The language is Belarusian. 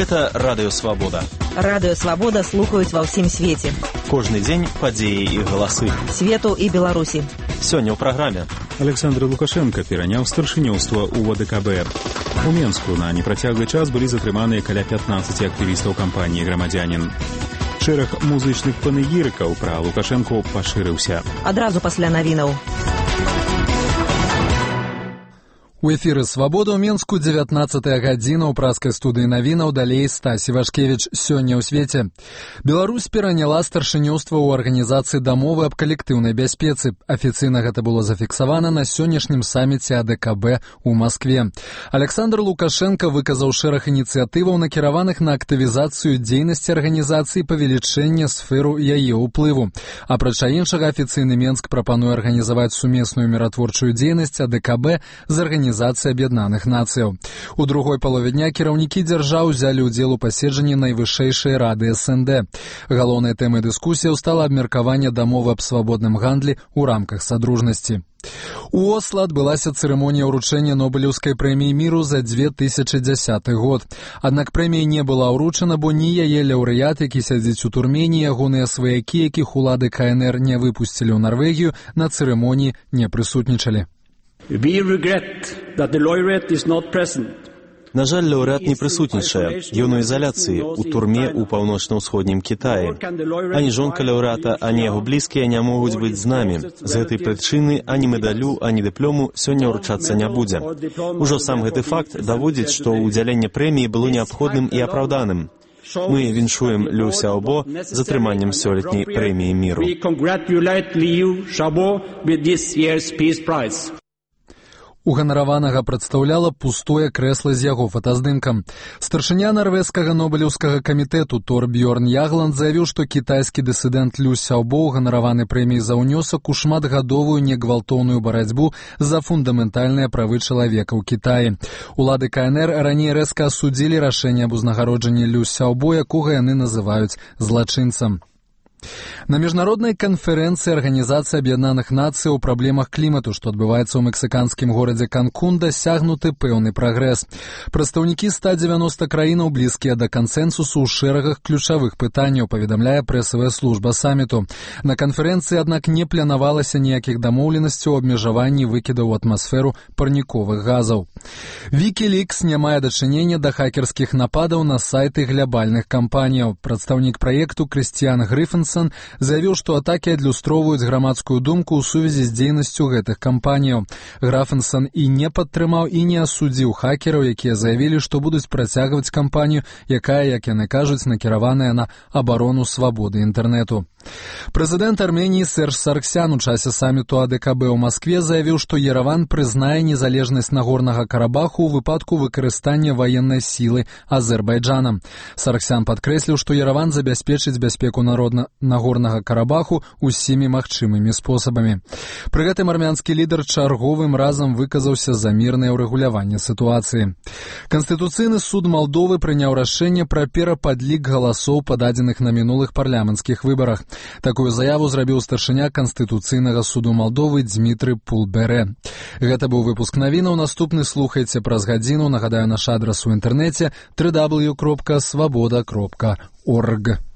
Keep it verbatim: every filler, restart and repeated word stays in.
Гэта Радыё Свабода. Радыё Свабода слухаюць ва ўсім свеце. Кожны дзень падзеі і галасы. Свету і Беларусі. Сёння ў праграме. Александр Лукашенко пераняў старшынёўства ў О Дэ Ка Бэ. У Менску на непрацяглы час былі затрыманыя каля пятнаццаці актывістаў кампаніі «Грамадзянін». Шэраг музычных панегірыкаў пра Лукашэнку пашырыўся. Адразу пасля навінаў. У эфіры «Свабода» ў Менску дзевятнаццатая гадзіна ў праскай студыі навінаў, далей Стасі Вашкевіч. Сёння ў свеце. Беларусь пераняла старшынёўства ў арганізацыі дамовы аб калектыўнай бяспецы. Афіцыйна гэта было зафіксавана на сённяшнім саміце А Дэ Ка Бэ ў Маскве. Александр Лукашенко выказаў шэраг ініцыятываў, накіраваных на актывізацыю дзейнасці арганізацыі, павелічэнне сферу яе ўплыву. Апрача іншага, афіцыйны Менск прапануе арганізаваць сумесную міратворчую дзейнасць А Дэ Ка Бэ з арганізацыяй Арганізацыі Аб'яднаных Нацыяў. У другой палове дня кіраўнікі дзяржаў узялі ўдзел у паседжанні найвышэйшай рады Эс Эн Дэ. Галоўнай тэмай дыскусіяў стала абмеркаванне дамовы аб свабодным гандлі ў рамках садружнасці. У Осла адбылася цырымонія ўручэння Нобелеўскай прэміі міру за две тысячы дзясяты год. Аднак прэмія не была ўручана, бо ні яе лаўрэат, які сядзіць у турме, ні ягоныя сваякі, якіх улады Ка Эн Эр не выпусцілі ў Нарвегію, на цырымоніі не прысутнічалі. We regret that the laureate is not present. На жаль, лаўрэат не прысутнічае. Ён у ізаляцыі, у турме ў паўночна-ўсходнім Кітаі. Ані жонка лаўрэата, ані яго блізкія не могуць быць з намі. З гэтай прычыны ані медалю, ані дыплому сёння ўручацца не будзе. Ужо сам гэты факт даводзіць, што ўдзяленне прэміі было неабходным і апраўданым. Мы віншуем Лю Сяобо з атрыманнем сёлетняй прэміі міру. We congratulate Liu Xiaobo with this year's Peace Prize. Уганараванага прадстаўляла пустое крэсла з яго фотаздымкам. Старшыня нарвежскага нобелеўскага камітэту Торбьёрн Ягланд заявіў, што кітайскі дысідэнт Лю Сяобо уганараваны прэміяй за ўнёсак у шматгадовую негвалтоўную барацьбу за фундаментальныя правы чалавека ў Кітаі. Улады Ка Эн Эр раней рэзка асудзілі рашэнне аб узнагароджанні Лю Сяобо, якога яны называюць злачынцам. На міжнароднай канферэнцыі Арганізацыі Аб'яднаных Нацыяў у праблемах клімату, што адбываецца ў мексіканскім горадзе Канкун, дасягнуты пэўны прагрэс. Прадстаўнікі ста дзевяноста краінаў блізкія да кансэнсусу ў шэрагах ключавых пытанняў, паведамляе прэсавая служба саміту. На канферэнцыі, аднак, не планавалася ніякіх дамоўленасцяў у абмежаванні выкідаў у атмасферу парніковых газаў. Вікілікс не мае дачынення да хакерскіх нападаў на сайты глябальных кампаніяў. Прадстаўнік праекту Крыстіян Грыфенсон заявіў, што атакі адлюстроўваюць грамадскую думку ў сувязі з дзейнасцю гэтых кампаніяў. Графенсон і не падтрымаў, і не асудзіў хакераў, якія заявілі, што будуць працягваць кампанію, якая, як яны кажуць, накіраваная на абарону свабоды інтэрнэту. Прэзідэнт Арменіі Серж Сарксян у часе саміту А Дэ Ка Бэ ў Маскве заявіў, што Ерэван прызнае незалежнасць Нагорнага Карабаху ў выпадку выкарыстання ваеннай сілы Азербайджанам. Сарксян падкрэсліў, што Ерэван забяспечыць бяспеку народна Нагорнага Карабаху усімі магчымымі спосабамі. Пры гэтым армянскі лідар чарговым разам выказаўся за мірнае ўрэгуляванне сітуацыі. Канстытуцыйны суд Малдовы прыняў рашэнне пра перападлік галасоў, пададзеных на мінулых парламенцкіх выбарах. Такую заяву зрабіў старшыня Канстытуцыйнага суду Малдовы Дзмітры Пулберэ. Гэта быў выпуск навінаў. Наступны слухайце праз гадзіну. Нагадаю, наш адрас у інтэрнэце дабл ю дабл ю дабл ю кропка свабода кропка орг.